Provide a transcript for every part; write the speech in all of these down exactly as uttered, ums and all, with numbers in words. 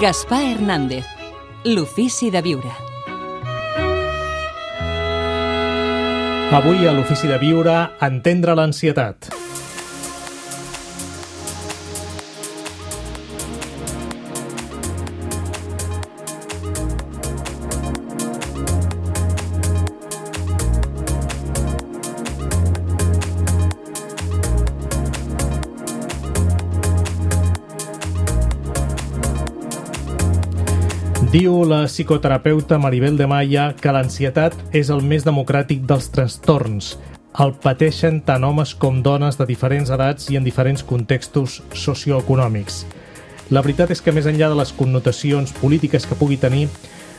Gaspar Hernández, l'ofici de viure. Avui a l'ofici de viure, entendre l'ansietat. Diu la psicoterapeuta Maribel de Maya que l'ansietat és el més democràtic dels trastorns. El pateixen tant homes com dones de diferents edats i en diferents contextos socioeconòmics. La veritat és que més enllà de les connotacions polítiques que pugui tenir,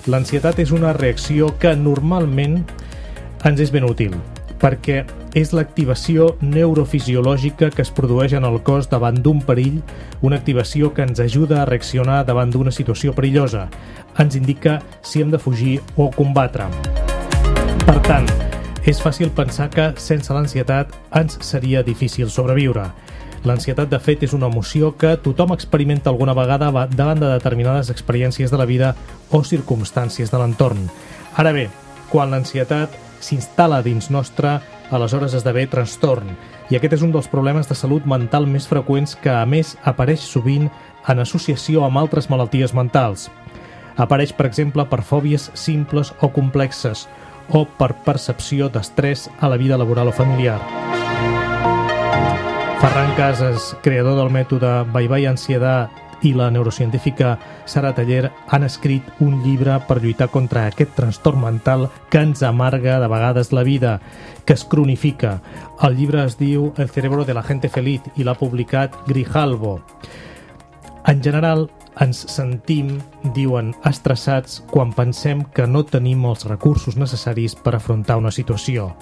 l'ansietat és una reacció que normalment ens és ben útil, perquè és l'activació neurofisiològica que es produeix en el cos davant d'un perill, una activació que ens ajuda a reaccionar davant d'una situació perillosa. Ens indica si hem de fugir o combatre. Per tant, és fàcil pensar que sense l'ansietat ens seria difícil sobreviure. L'ansietat, de fet, és una emoció que tothom experimenta alguna vegada davant de determinades experiències de la vida o circumstàncies de l'entorn. Ara bé, quan l'ansietat s'instal·la dins nostre, aleshores esdevé trastorn. I aquest és un dels problemes de salut mental més freqüents que, a més, apareix sovint en associació amb altres malalties mentals. Apareix, per exemple, per fòbies simples o complexes o per percepció d'estrès a la vida laboral o familiar. Ferran Casas, creador del mètode Bye Bye Ansiedad, i la neurocientífica Sara Taller han escrit un llibre per lluitar contra aquest trastorn mental que ens amarga de vegades la vida, que es cronifica. El llibre es diu El cerebro de la gente feliz i l'ha publicat Grijalbo. En general, ens sentim, diuen, estressats quan pensem que no tenim els recursos necessaris per afrontar una situació.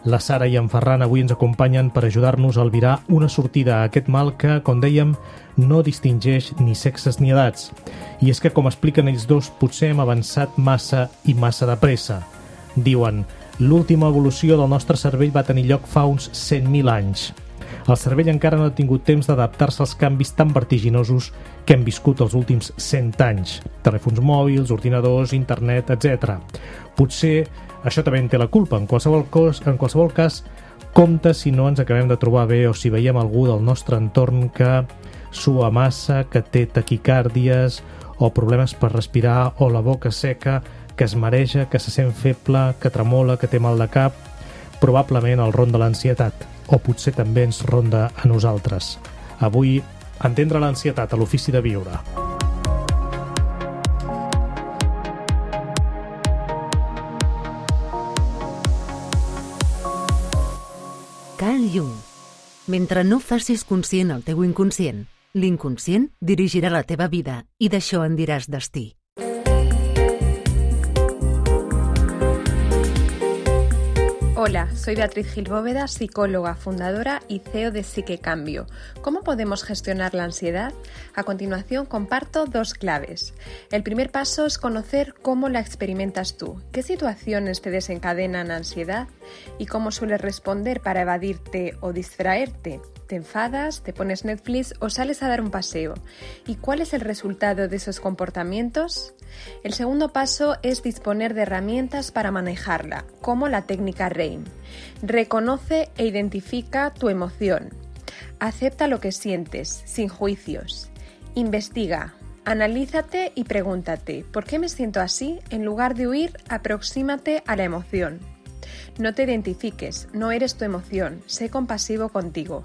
La Sara i en Ferran avui ens acompanyen per ajudar-nos a albirar una sortida a aquest mal que, com dèiem, no distingeix ni sexes ni edats. I és que, com expliquen ells dos, potser hem avançat massa i massa de pressa. Diuen, l'última evolució del nostre cervell va tenir lloc fa uns cent mil anys. El cervell encara no ha tingut temps d'adaptar-se als canvis tan vertiginosos que hem viscut els últims cent anys. Telèfons mòbils, ordinadors, internet, etcètera. Potser això també en té la culpa. En qualsevol, cos, en qualsevol cas, compte si no ens acabem de trobar bé o si veiem algú del nostre entorn que sua massa, que té taquicàrdies o problemes per respirar o la boca seca, que es mareja, que se sent feble, que tremola, que té mal de cap. Probablement el ronda l'ansietat, o potser també ens ronda a nosaltres. Avui, entendre l'ansietat a l'ofici de viure. Carl Jung. Mentre no facis conscient el teu inconscient, l'inconscient dirigirà la teva vida i d'això en diràs destí. Hola, soy Beatriz Gil Bóveda, psicóloga, fundadora y C E O de Psiquecambio. ¿Cómo podemos gestionar la ansiedad? A continuación comparto dos claves. El primer paso es conocer cómo la experimentas tú, qué situaciones te desencadenan ansiedad y cómo sueles responder para evadirte o distraerte. ¿Te enfadas, te pones Netflix o sales a dar un paseo? ¿Y cuál es el resultado de esos comportamientos? El segundo paso es disponer de herramientas para manejarla, como la técnica RAIN. Reconoce e identifica tu emoción. Acepta lo que sientes, sin juicios. Investiga, analízate y pregúntate, ¿por qué me siento así? En lugar de huir, aproxímate a la emoción. No te identifiques, no eres tu emoción, sé compasivo contigo.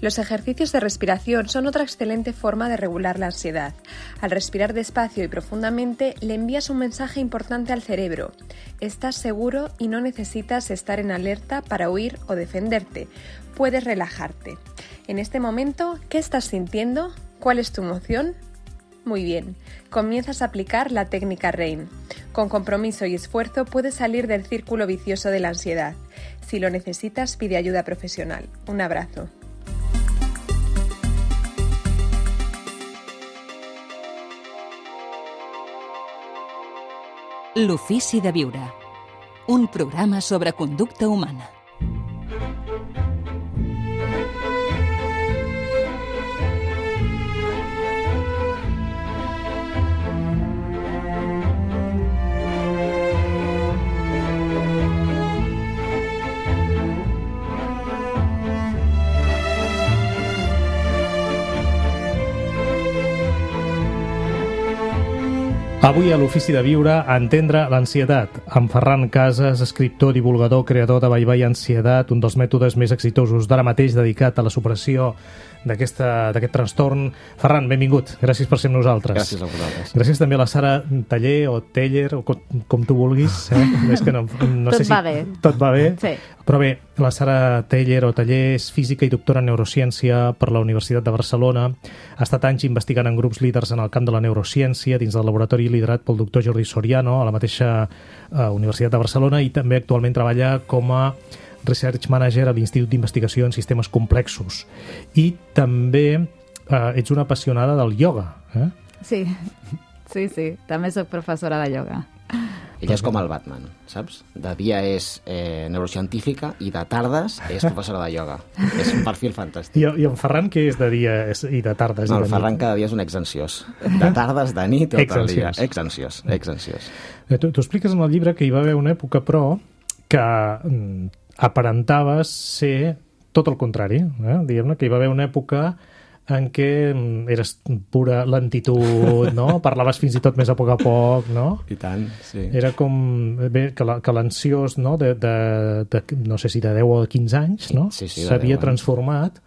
Los ejercicios de respiración son otra excelente forma de regular la ansiedad. Al respirar despacio y profundamente, le envías un mensaje importante al cerebro. Estás seguro y no necesitas estar en alerta para huir o defenderte. Puedes relajarte. En este momento, ¿qué estás sintiendo? ¿Cuál es tu emoción? Muy bien, comienzas a aplicar la técnica RAIN. Con compromiso y esfuerzo puedes salir del círculo vicioso de la ansiedad. Si lo necesitas, pide ayuda profesional. Un abrazo. L'ofici de viure. Un programa sobre conducta humana. Avui a l'Ofici de Viure, Entendre l'ansietat, amb Ferran Casas, escriptor, divulgador, creador de Bye Bye Ansietat, un dels mètodes més exitosos d'ara mateix dedicat a la superació d'aquest trastorn. Ferran, benvingut. Gràcies per ser amb nosaltres. Gràcies a vosaltres. Gràcies també a la Sara Taller o Teller, o com, com tu vulguis. Eh? És que no, no tot sé si va bé. Tot va bé. Sí. Però bé, la Sara Taller o Taller és física i doctora en neurociència per la Universitat de Barcelona. Ha estat anys investigant en grups líders en el camp de la neurociència dins del laboratori liderat pel doctor Jordi Soriano a la mateixa uh, Universitat de Barcelona, i també actualment treballa com a Research Manager a l'Institut d'Investigació en Sistemes Complexos. I també eh, ets una apassionada del ioga. Eh? Sí, sí, sí. També soc professora de ioga. Ella és com el Batman, saps? De dia és eh, neurocientífica i de tardes és professora de ioga. És un perfil fantàstic. I, i en Ferran, què és de dia i de tardes? No, i de el Ferran nit? cada dia és un exansiós. De tardes, de nit, tot el dia. Exansiós. Exansiós, exansiós. Tu, tu expliques en el llibre que hi va haver una època, però, que mm, aparentaves ser tot el contrari. Eh? Diguem-ne que hi va haver una època en què eres pura lentitud, no? Parlaves fins i tot més a poc a poc, no? I tant, sí. Era com bé, que l'ansiós, no? De, de, de, no sé si de deu o de quinze anys, no? Sí, sí, de s'havia deu anys. transformat,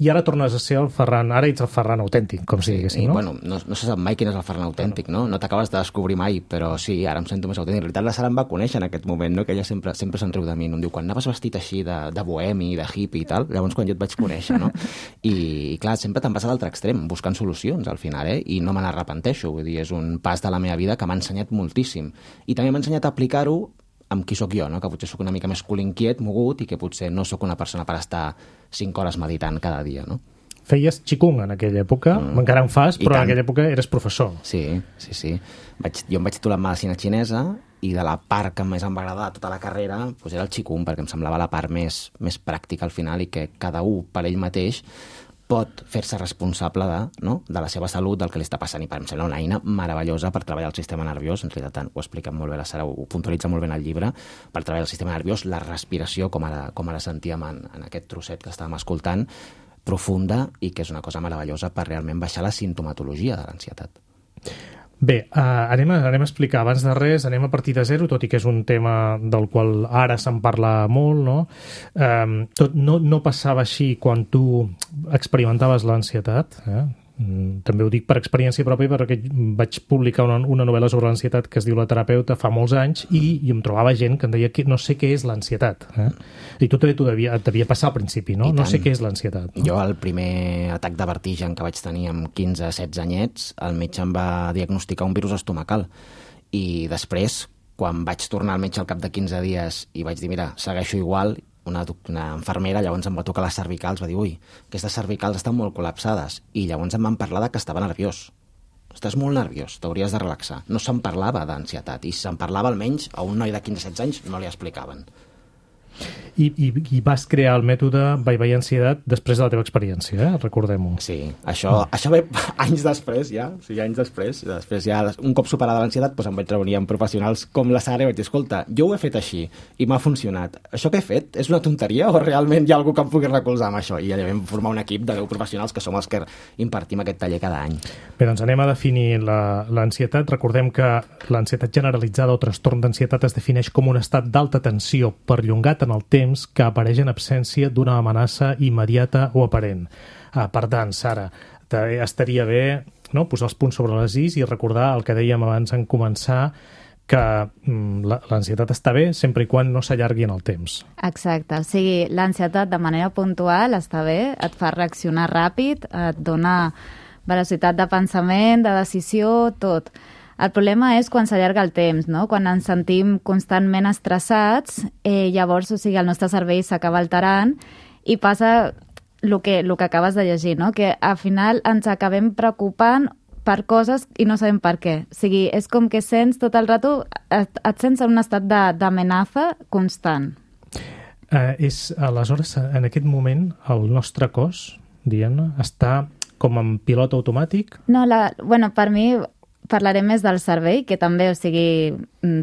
i ara tornes a ser el Ferran, ara ets el Ferran autèntic, com si diguéssim, I, no? bueno, no, no se sap mai quin és el Ferran autèntic, no? No t'acabes de descobrir mai, però sí, ara em sento més autèntic. En realitat, la Sara em va conèixer en aquest moment, no? Que ella sempre, sempre se'n riu de mi. No? Em diu, quan anaves vestit així de, de bohemi, de hippie i tal, llavors quan jo et vaig conèixer, no? I, i clar, sempre te'n vas a l'altre extrem, buscant solucions al final, eh? I no me n'arrepenteixo, vull dir, és un pas de la meva vida que m'ha ensenyat moltíssim. I també m'ha ensenyat a aplicar-ho amb qui sóc jo, no? Que potser sóc una mica més cul inquiet, mogut, i que potser no sóc una persona per estar cinc hores meditant cada dia, no? Feies qigong en aquella època, mm. encara en fas, però en aquella època eres professor. Sí, sí, sí. Vaig, jo em vaig titular en medicina xinesa, i de la part que més em va agradar de tota la carrera doncs era el qigong, perquè em semblava la part més, més pràctica al final, i que cada un per ell mateix pot fer-se responsable de, no? de la seva salut, del que li està passant, i per em sembla una eina meravellosa per treballar el sistema nerviós. En realitat ho explica molt bé la Sara, ho puntualitza molt bé en el llibre, per treballar el sistema nerviós, la respiració, com ara, com ara sentíem en, en aquest trosset que estàvem escoltant, profunda, i que és una cosa meravellosa per realment baixar la sintomatologia de l'ansietat. Bé, uh, anem, a, anem a explicar, abans de res, anem a partir de zero, tot i que és un tema del qual ara se'n parla molt, no? Um, tot, no, no passava així quan tu experimentaves l'ansietat, eh? També ho dic per experiència pròpia, perquè vaig publicar una, una novel·la sobre l'ansietat que es diu La terapeuta fa molts anys, i, i em trobava gent que em deia que no sé què és l'ansietat. Eh? I tu també t'ho devia, et devia passar al principi, no? No sé què és l'ansietat. No? Jo, el primer atac de vertigen que vaig tenir amb quinze setze anyets, el metge em va diagnosticar un virus estomacal. I després, quan vaig tornar al metge al cap de quinze dies i vaig dir, mira, segueixo igual, Una, una infermera llavors em va tocar les cervicals, va dir, ui, aquestes cervicals estan molt col·lapsades, i llavors em van parlar de que estava nerviós. Estàs molt nerviós, t'hauries de relaxar. No se'n parlava d'ansietat, i si se'n parlava almenys a un noi de quinze setze anys no li explicaven. I, i, i vas crear el mètode Bye Bye Ansietat després de la teva experiència, eh? Recordem-ho. Sí, això, mm. això ve anys després ja, o sigui, anys després. Després ja, un cop superada l'ansietat, doncs em vaig reunir amb professionals com la Sara i vaig dir, escolta, jo ho he fet així i m'ha funcionat. Això que he fet és una tonteria o realment hi ha algú que em pugui recolzar amb això? I allà vam formar un equip de deu professionals que som els que impartim aquest taller cada any. Bé, doncs anem a definir l'ansietat. Recordem que l'ansietat generalitzada o trastorn d'ansietat es defineix com un estat d'alta tensió perllongat en el temps que apareix en absència d'una amenaça immediata o aparent. Ah, per tant, Sara, estaria bé, no?, posar els punts sobre les is i recordar el que dèiem abans en començar, que mm, l'ansietat està bé sempre i quan no s'allargui en el temps. Exacte, o sigui, l'ansietat de manera puntual està bé, et fa reaccionar ràpid, et dona velocitat de pensament, de decisió, tot. El problema és quan s'allarga el temps, no? Quan ens sentim constantment estressats, eh, llavors, o sigui, el nostre cervell s'acaba alterant i passa el que, el que acabes de llegir, no? Que al final ens acabem preocupant per coses i no sabem per què. O sigui, és com que sents tot el rato, et, et sents en un estat d'amenaça constant. Eh, és, aleshores, en aquest moment, el nostre cos, diguem-ne, està com en pilot automàtic? No, la, bueno, per mi parlaré més del cervell, que també, o sigui,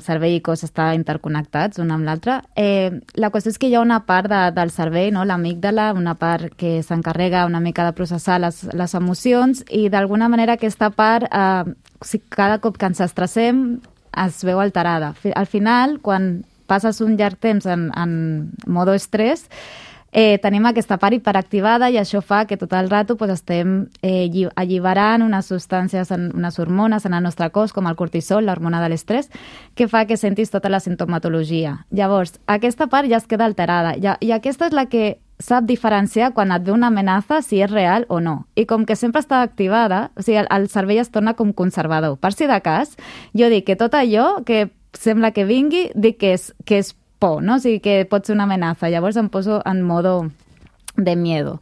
cervell i cos estan interconnectats un amb l'altre. Eh, la qüestió és que hi ha una part de, del cervell, no? L'amígdala, una part que s'encarrega una mica de processar les, les emocions, i d'alguna manera aquesta part eh, si cada cop que ens estressem es veu alterada. Al final, quan passes un llarg temps en, en modo estrès, eh, tenim aquesta part hiperactivada i això fa que tot el rato pues, estem eh, alliberant unes substàncies, unes hormones en el nostre cos, com el cortisol, l'hormona de l'estrès, que fa que sentis tota la sintomatologia. Llavors, aquesta part ja es queda alterada i, i aquesta és la que sap diferenciar quan et ve una amenaça si és real o no. I com que sempre està activada, o sigui, el, el cervell es torna com conservador. Per si de cas, jo dic que tot allò que sembla que vingui, dic que és, que és por, no? O sigui, que pot ser una amenaça. Llavors em poso en modo de miedo.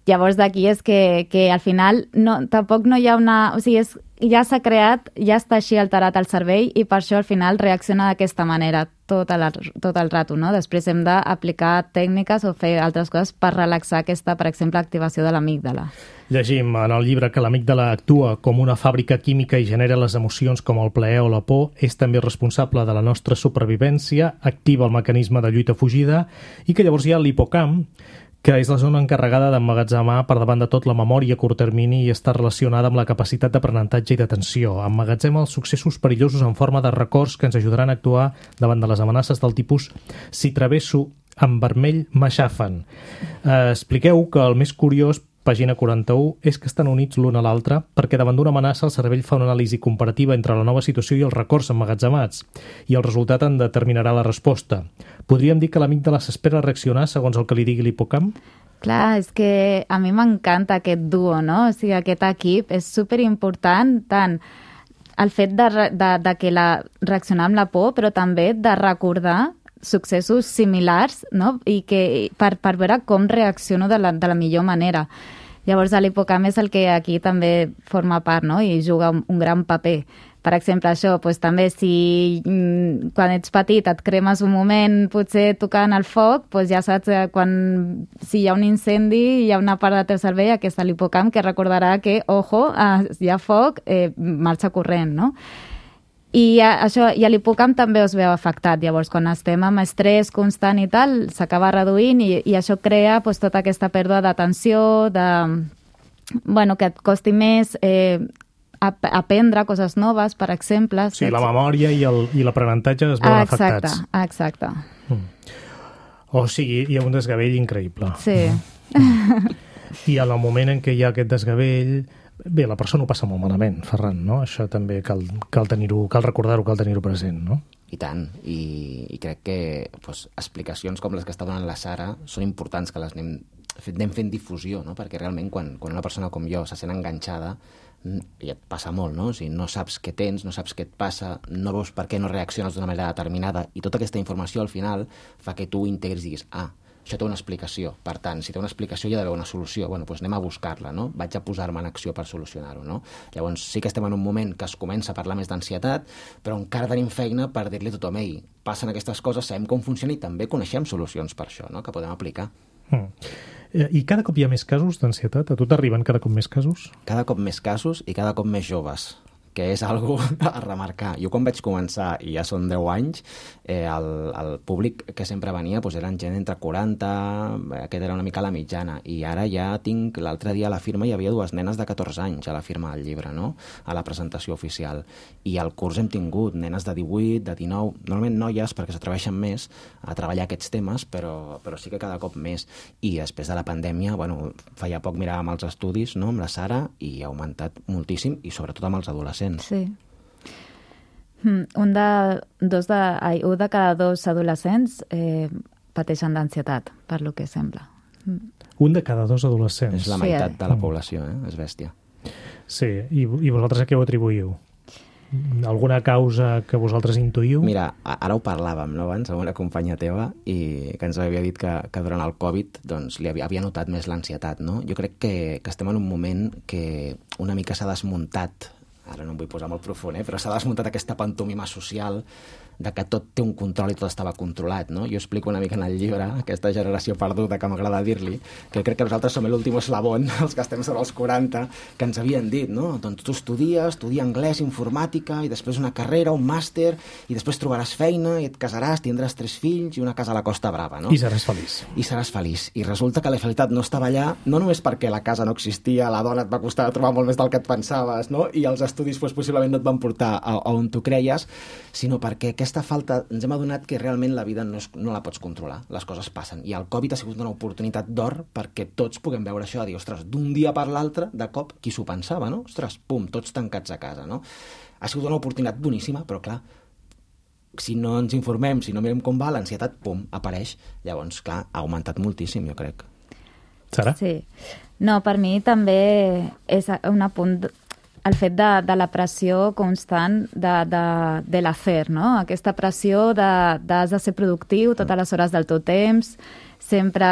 Llavors d'aquí és que, que al final no, tampoc no hi ha una... O sigui, és, ja s'ha creat, ja està així alterat el cervell i per això al final reacciona d'aquesta manera tot el, tot el rato, no? Després hem d'aplicar tècniques o fer altres coses per relaxar aquesta, per exemple, activació de l'amígdala. Llegim en el llibre que l'amígdala actua com una fàbrica química i genera les emocions com el plaer o la por, és també responsable de la nostra supervivència, activa el mecanisme de lluita-fugida i que llavors hi ha l'hipocamp, que és la zona encarregada d'emmagatzemar per davant de tot la memòria a curt termini i està relacionada amb la capacitat d'aprenentatge i d'atenció. Emmagatzema els successos perillosos en forma de records que ens ajudaran a actuar davant de les amenaces del tipus si travesso en vermell m'aixafen. Eh, expliqueu que el més curiós, pàgina quaranta-u, és que estan units l'un a l'altre perquè davant d'una amenaça el cervell fa una anàlisi comparativa entre la nova situació i els records emmagatzemats i el resultat en determinarà la resposta. Podríem dir que l'amígdala s'espera reaccionar segons el que li digui l'hipocamp? Clar, és que a mi m'encanta aquest duo, no? O sigui, aquest equip és superimportant, tant el fet de, de, de que la reaccionar amb la por, però també de recordar successos similars, no? I que per, per veure com reacciono de la, de la millor manera. Llavors, l'hipocamp és el que aquí també forma part, no? I juga un, un gran paper. Per exemple, això, doncs, també si mm, quan ets petit et cremes un moment potser tocant el foc, doncs ja saps que quan, si hi ha un incendi hi ha una part del teu cervell, aquesta l'hipocamp, que recordarà que, ojo, eh, hi ha foc, eh, marxa corrent, no? I això, i l'hipocamp també es veu afectat. Llavors, quan estem amb estrès constant i tal, s'acaba reduint i, i això crea pues, tota aquesta pèrdua d'atenció, de, bueno, que et costi més eh, ap aprendre coses noves, per exemple. Sí, la memòria i l'aprenentatge es veuen exacte, afectats. Exacte, exacte. Mm. O sigui, hi ha un desgavell increïble. Sí. Mm. I en el moment en què hi ha aquest desgavell... Bé, la persona ho passa molt malament, Ferran, no? Això també cal, cal tenir-ho, cal recordar-ho, cal tenir-ho present, no? I tant, i, i crec que pues, explicacions com les que està donant la Sara són importants que les anem, anem fent difusió, no? Perquè realment quan, quan una persona com jo se sent enganxada i et passa molt, no? O sigui, no saps què tens, no saps què et passa, no veus per què no reacciones d'una manera determinada i tota aquesta informació al final fa que tu integris i diguis, ah, això té una explicació. Per tant, si té una explicació hi ha d'haver una solució. Bueno, doncs anem a buscar-la, no? Vaig a posar-me en acció per solucionar-ho, no? Llavors sí que estem en un moment que es comença a parlar més d'ansietat, però encara tenim feina per dir-li a tothom, ei, passen aquestes coses, sabem com funciona i també coneixem solucions per això, no? Que podem aplicar. Mm. I cada cop hi ha més casos d'ansietat? A tu t'arriben cada cop més casos? Cada cop més casos i cada cop més joves, que és algo a remarcar. Jo quan vaig començar, i ja són deu anys, eh, el, el públic que sempre venia doncs eren gent entre quaranta, aquest era una mica la mitjana, i ara ja tinc, l'altre dia a la firma hi havia dues nenes de catorze anys a la firma del llibre, no? A la presentació oficial. I al curs hem tingut nenes de divuit, de dinou, normalment noies perquè s'atreveixen més a treballar aquests temes, però, però sí que cada cop més. I després de la pandèmia, bueno, feia poc miràvem els estudis, no?, amb la Sara, i ha augmentat moltíssim, i sobretot amb els adolescents. Sí. Un de, dos de, ai, un de cada dos adolescents eh, pateixen d'ansietat, per lo que sembla. Un de cada dos adolescents. És la meitat sí, de la població, eh? És bèstia. Sí, i, i vosaltres a què ho atribuïu? Alguna causa que vosaltres intuïu? Mira, ara ho parlàvem, no, abans, amb una companya teva, i que ens havia dit que, que durant el Covid doncs, li havia, havia notat més l'ansietat, no? Jo crec que, que estem en un moment que una mica s'ha desmuntat, ara no em vull posar molt profund, eh? Però s'ha desmuntat aquesta pantomima social de que tot té un control i tot estava controlat, no? Jo explico una mica en el llibre, aquesta generació perduda que m'agrada dir-li, que crec que nosaltres som l'últim eslabón, els que estem sobre els quaranta, que ens havien dit, no? Doncs tu estudies, estudia anglès, informàtica, i després una carrera, un màster, i després trobaràs feina, i et casaràs, tindràs tres fills i una casa a la Costa Brava, no? I seràs feliç. I seràs feliç. I resulta que la felicitat no estava allà, no només perquè la casa no existia, la dona et va costar trobar molt més del que et pensaves, no? I els estudis pues, possiblement no et van portar a, a on tu creies, sinó perquè aquesta falta ens hem adonat que realment la vida no, és, no la pots controlar, les coses passen, i el Covid ha sigut una oportunitat d'or perquè tots puguem veure això, dir, ostres, d'un dia per l'altre, de cop, qui s'ho pensava, no? Ostres, pum, tots tancats a casa, no? Ha sigut una oportunitat boníssima, però clar, si no ens informem, si no mirem com va, l'ansietat, pum, apareix. Llavors, clar, ha augmentat moltíssim, jo crec. Sara? Sí. No, per mi també és un apunt el fet de, de la pressió constant de, de, de l'afer, no? Aquesta pressió de, de has de ser productiu totes les hores del teu temps, sempre,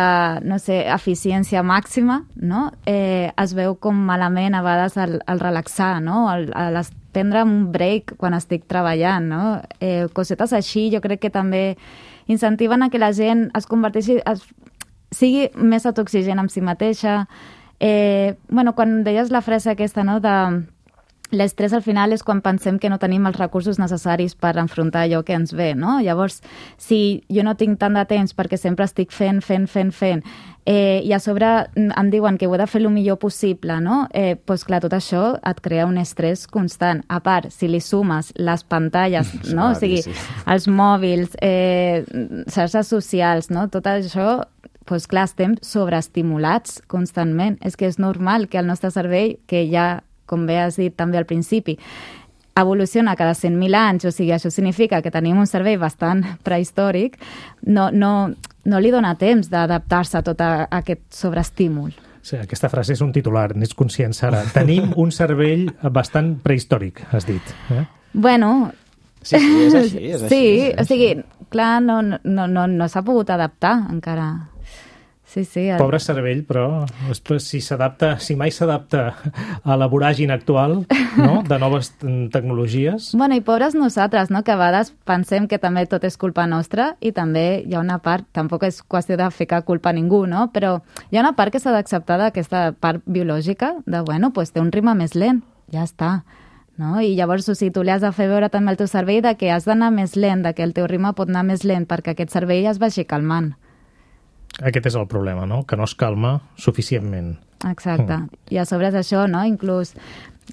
no sé, eficiència màxima, no? Eh, es veu com malament a vegades el, el relaxar, no? El, el prendre un break quan estic treballant, no? Eh, cosetes així jo crec que també incentiven a que la gent es converteixi, es, sigui més autoexigent amb si mateixa. Eh, bueno, quan deies la frase aquesta, no?, de l'estrès al final és quan pensem que no tenim els recursos necessaris per enfrontar allò que ens ve, no? Llavors, si jo no tinc tant de temps perquè sempre estic fent, fent, fent, fent, eh, i a sobre em diuen que ho he de fer el millor possible, no? Eh, doncs clar, tot això et crea un estrès constant. A part, si li sumes les pantalles, no? O sigui, els mòbils, eh, xarxes socials, no? Tot això, doncs clar, estem sobreestimulats constantment. És que és normal que el nostre cervell, que ja com bé has dit també al principi, evoluciona cada cent mil anys, o sigui, això significa que tenim un cervell bastant prehistòric, no, no, no li dona temps d'adaptar-se a tot a, a aquest sobreestímul. Sí, aquesta frase és un titular, n'és conscient, Sara. Tenim un cervell bastant prehistòric, has dit. Eh? Bueno... Sí, sí, és així, és així. Sí, és així. O sigui, clar, no, no, no, no s'ha pogut adaptar encara. Sí, sí. El... Pobre cervell, però si s'adapta, si mai s'adapta a la voràgine actual, no?, de noves tecnologies... Bueno, i pobres nosaltres, no?, que a vegades pensem que també tot és culpa nostra i també hi ha una part, tampoc és qüestió de ficar culpa a ningú, no?, però hi ha una part que s'ha d'acceptar d'aquesta part biològica, de, bueno, pues té un ritme més lent, ja està, no? I llavors, o sigui, tu li has de fer veure també al teu cervell de que has d'anar més lent, de que el teu ritme pot anar més lent perquè aquest cervell es vagi calmant. Aquest és el problema, no?, que no es calma suficientment. Exacte. Mm. I a sobre és això, no?, inclús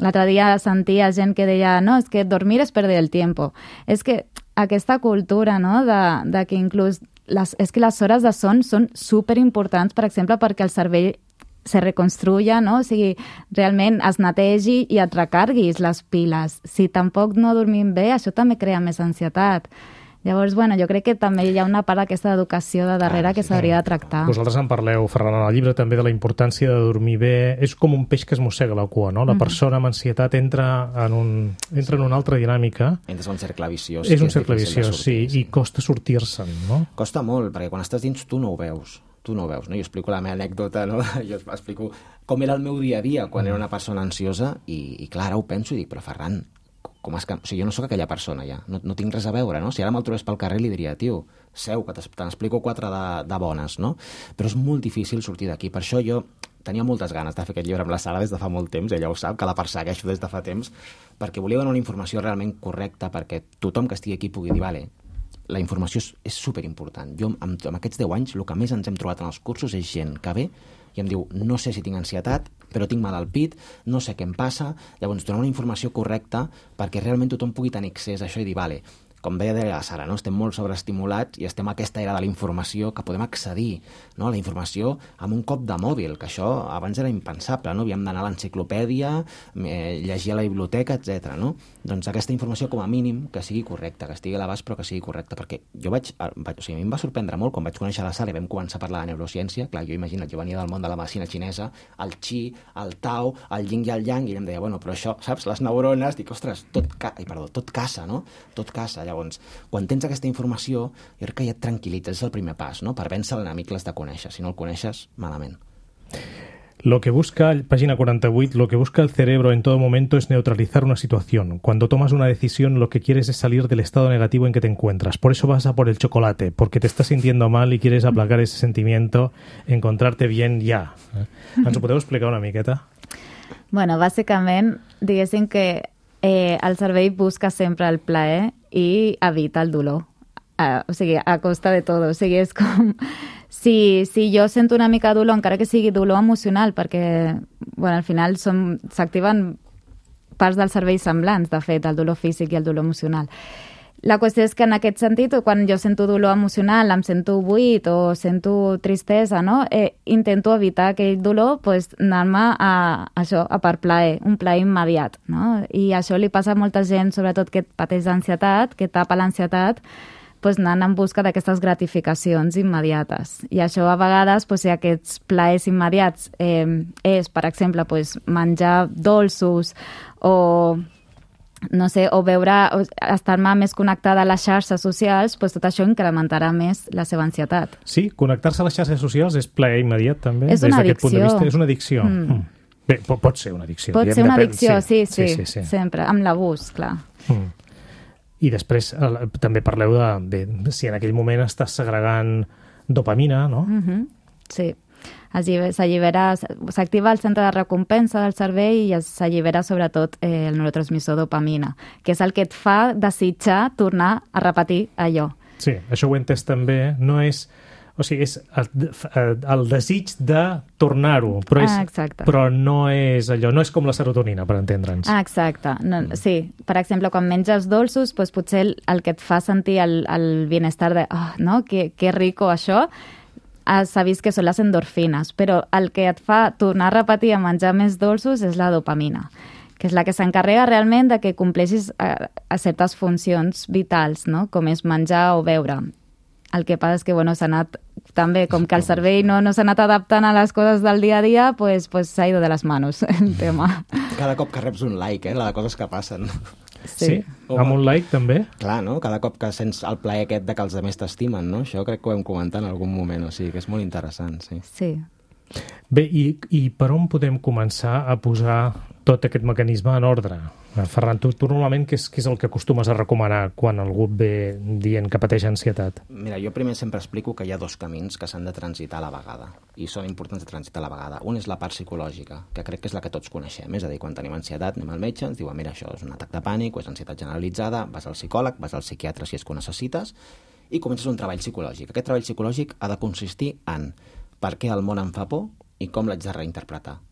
l'altre dia sentia gent que deia, no, és que dormir és perder el tiempo. És que aquesta cultura, no?, de, de que inclús les, és que les hores de son són superimportants, per exemple, perquè el cervell se reconstruya, no? O sigui, realment es netegi i et recarguis les piles. Si tampoc no dormim bé, això també crea més ansietat. Llavors, bueno, jo crec que també hi ha una part d'aquesta educació de darrere ah, que s'hauria de tractar. Vosaltres en parleu, Ferran, en el llibre també de la importància de dormir bé. És com un peix que es mossega la cua, no? La persona amb ansietat entra en, un, entra en una altra dinàmica. Entres en un cercle viciós. És un cercle viciós, sí, i costa sortir-se'n, no? Costa molt, perquè quan estàs dins tu no ho veus. Tu no ho veus, no? Jo explico la meva anècdota, no? Jo explico com era el meu dia a dia quan era una persona ansiosa i, i clar, ara ho penso i dic, però Ferran, com és que... O sigui, jo no sóc aquella persona ja, no, no tinc res a veure, no? Si ara me'l trobés pel carrer li diria, tio, seu, que te n'explico quatre de, de bones, no? Però és molt difícil sortir d'aquí. Per això jo tenia moltes ganes de fer aquest llibre amb la Sara des de fa molt temps, ella ho sap, que la persegueixo des de fa temps, perquè volia donar una informació realment correcta perquè tothom que estigui aquí pugui dir, vale, la informació és, és superimportant. Jo, amb, amb aquests deu anys, el que més ens hem trobat en els cursos és gent que ve i em diu, no sé si tinc ansietat, però tinc mal al pit, no sé què em passa. Llavors, donar una informació correcta perquè realment tothom pugui tenir accés a això i dir, vale, com deia la Sara, no? Estem molt sobreestimulats i estem a aquesta era de la informació que podem accedir, no? A la informació amb un cop de mòbil, que això abans era impensable, no? Havíem d'anar a l'enciclopèdia, eh, llegir a la biblioteca, etcètera, no? Doncs aquesta informació com a mínim que sigui correcta, que estigui a l'abast però que sigui correcta, perquè jo vaig, vaig, o sigui, a mi em va sorprendre molt quan vaig conèixer la Sara i vam començar a parlar de neurociència. Clar, jo imagina't, jo venia del món de la medicina xinesa, el Qi, el Tao, el Yin i el Yang, i ella em deia, bueno, però això, saps, les neurones, dic, ostres, tot, ca... Ai, perdó, tot casa, no? Tot casa. Llavors, quan tens aquesta informació, jo crec que ja et tranquil·litzes, és el primer pas, no? Per vèncer l'enemic l'has de conèixer, si no el coneixes, malament. Lo que busca, página cuarenta y ocho, lo que busca el cerebro en todo momento es neutralizar una situación. Cuando tomas una decisión, lo que quieres es salir del estado negativo en que te encuentras. Por eso vas a por el chocolate, porque te estás sintiendo mal y quieres aplacar ese sentimiento, encontrarte bien ja. Ens ho podeu explicar una miqueta? Bueno, bàsicament, diguéssim que eh, el cervell busca sempre el plaer i evita el dolor. Uh, o sigui, a costa de tot. O sigui, és com... Si, si jo sento una mica de dolor, encara que sigui dolor emocional, perquè bueno, al final s'activen parts del cervell semblants, de fet, el dolor físic i el dolor emocional. La qüestió és que en aquest sentit, quan jo sento dolor emocional, em sento buit o sento tristesa, no? eh, intento evitar aquell dolor, pues, anar-me a, això, a per plaer, un plaer immediat. No? I això li passa a molta gent, sobretot que pateix d'ansietat, que tapa l'ansietat, pues, anant en busca d'aquestes gratificacions immediates. I això a vegades, pues, si aquests plaers immediats eh, és, per exemple, pues, menjar dolços o, no sé, o veure, o estar-me més connectada a les xarxes socials, pues, tot això incrementarà més la seva ansietat. Sí, connectar-se a les xarxes socials és plaer immediat, també? És una des punt de addicció. vista. És una addicció. Mm. Mm. Bé, pot ser una addicció. Pot ser una addicció, sí, sí, sí, sí, sí. sempre, amb l'abús, clar. Mm. I després eh, també parleu de, de si en aquell moment estàs segregant dopamina, no? Mm-hmm. Sí, s'allibera, s'activa el centre de recompensa del cervell i s'allibera sobretot eh, el neurotransmissor dopamina, que és el que et fa desitjar tornar a repetir allò. Sí, això ho he entès també. No és... O sigui, és el, el desig de tornar-ho, però, és, ah, però no és allò, no és com la serotonina, per entendre'ns. Ah, exacte. No, sí, per exemple, quan menges dolços, doncs potser el, el que et fa sentir el, el bienestar de, oh, no, que, que rico això, s'ha vist que són les endorfines, però el que et fa tornar a repetir a menjar més dolços és la dopamina, que és la que s'encarrega realment de que compleixis a, a certes funcions vitals, no? Com és menjar o beure. El que passa és que, bueno, s'ha anat també, com que el cervell no, no s'ha anat adaptant a les coses del dia a dia, pues, pues s'ha ido de les manos el tema. Cada cop que reps un like, eh, la de coses que passen. Sí, sí. Amb un like també. Clar, no? Cada cop que sents el plaer aquest de que els altres t'estimen, no? Això crec que ho hem comentat en algun moment, o sigui que és molt interessant, sí. Sí. Bé, i, i per on podem començar a posar tot aquest mecanisme en ordre? Ferran, tu, tu normalment què és, què és el que acostumes a recomanar quan algú ve dient que pateix ansietat? Mira, jo primer sempre explico que hi ha dos camins que s'han de transitar a la vegada, i són importants de transitar a la vegada. Un és la part psicològica, que crec que és la que tots coneixem, és a dir, quan tenim ansietat anem al metge, ens diuen, mira, això és un atac de pànic o és ansietat generalitzada, vas al psicòleg, vas al psiquiatre si és que ho necessites, i comences un treball psicològic. Aquest treball psicològic ha de consistir en per què el món em fa por i com l'haig de reinterpretar.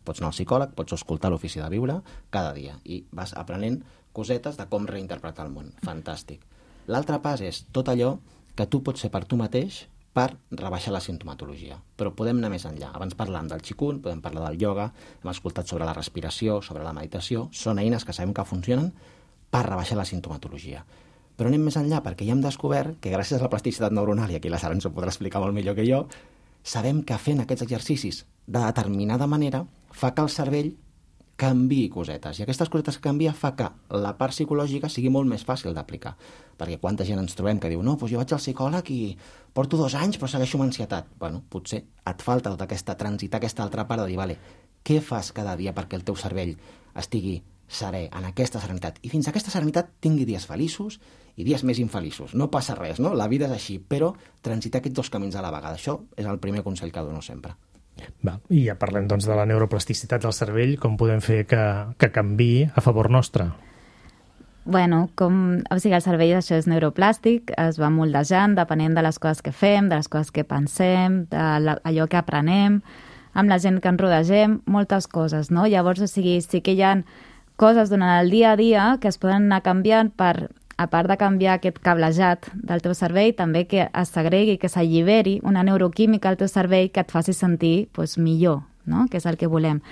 Pots anar al psicòleg, pots escoltar l'ofici de viure cada dia i vas aprenent cosetes de com reinterpretar el món. Fantàstic. L'altre pas és tot allò que tu pots fer per tu mateix per rebaixar la sintomatologia. Però podem anar més enllà. Abans parlàvem del Qigong, podem parlar del ioga, hem escoltat sobre la respiració, sobre la meditació. Són eines que sabem que funcionen per rebaixar la sintomatologia. Però anem més enllà perquè ja hem descobert que gràcies a la plasticitat neuronal, i aquí la Sara ens ho podrà explicar molt millor que jo, sabem que fent aquests exercicis de determinada manera fa que el cervell canviï cosetes. I aquestes cosetes que canvia fa que la part psicològica sigui molt més fàcil d'aplicar. Perquè quanta gent ens trobem que diu no, doncs jo vaig al psicòleg i porto dos anys però segueixo amb ansietat. Bueno, potser et falta tota aquesta transitar aquesta altra part de dir, vale, què fas cada dia perquè el teu cervell estigui serè, en aquesta serenitat, i fins a aquesta serenitat tingui dies feliços i dies més infeliços. No passa res, no? La vida és així, però transitar aquests dos camins a la vegada. Això és el primer consell que dono sempre. Va, i ja parlem doncs de la neuroplasticitat del cervell, com podem fer que, que canviï a favor nostre. Bueno, com, o sigui, el cervell això és neuroplàstic, es va moldejant depenent de les coses que fem, de les coses que pensem, de la, allò que aprenem, amb la gent que ens rodegem, moltes coses, no? Llavors, o sigui, sí que hi ha coses durant el dia a dia que es poden anar canviant per, a part de canviar aquest cablejat del teu cervell, també que es segregui, que s'alliberi una neuroquímica al teu cervell que et faci sentir pues, millor, no? Que és el que volem.